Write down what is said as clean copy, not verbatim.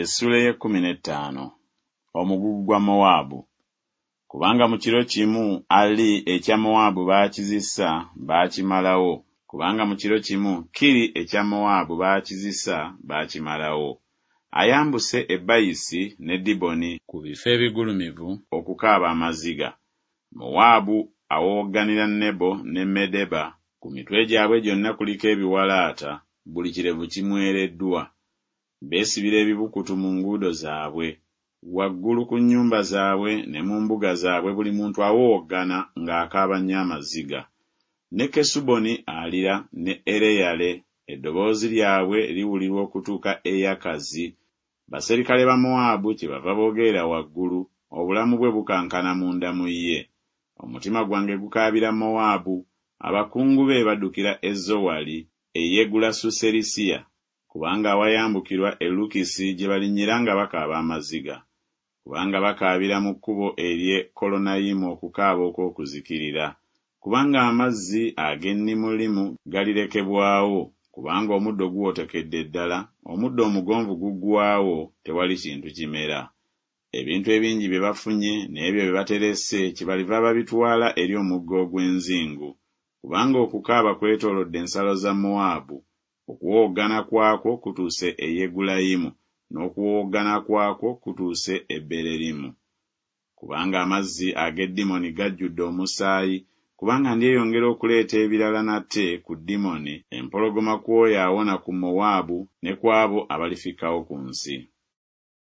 Essuula ey'ekkumi n'ettaano. Omugugu gwa Mowaabu. Kubanga mu kiro kimu Ali ekya Mowaabu baakizisa, baakimalawo, kubanga mu kiro kimu Kiri ekya Mowaabu baakizisa, baakimalawo. Ayambuse e Bayisi ne Diboni ku bifo ebigulumivu okukaaba amaziga. Mowaabu awowogganira Nebo ne Medeba, ku mitwe gyabwe gyonna kuliko ebiwalaata, buli kirevu kimwereddwa. Beesibira ebibukutu mu nguudo zaabwe. Waggulu ku nnyumba zaabwe ne mu mbuga zaabwe buli muntu awowoggana ng'akaaba nnyo amaziga. Ne Kesuboni alira ne Ereyale, eddoboozi lyabwe liwulirwa okutuuka e Yakazi. Baserikale ba Mowaabu kyebava boogerera waggulu, obulamu bwe bukankana munda mu ye. Omutima gwange gukaabira Mowaabu, abakungu be baddukira e Zowali, e Yegulasu-serisiya, kubanga awayambukirwa e Lukisi gye balinnyira nga bakaaba amaziga. Kubanga bakaabira mu kkubo ery'e Kolonayimu okukaaba okw'okuzikirira, kubanga amazzi ag'e Nimulimu galirekebwawo, kubanga omuddo guwotokedde ddala, omuddo omugonvu guggwaawo, tewali kintu kimera. Ebintu ebingi bye bafunye n'ebyo bye baterese kyebaliva babitwala eri omugga ogw'enzingu, kubanga okukaaba kwetoolodde ensalo za Mowaabu, okuwowoggana kwakwo kutuuse e Yegulayimu, n'okuwowoggana kwakwo kutuuse e Bererimu. Kubanga amazzi ag'e Dimoni gajjudde omusaayi, kubanga ndyeyongera okuleeta ebirala nate ku Dimoni, empologoma ku oyo awona ku Mowaabu ne ku abo abalifikkawo ku nsi.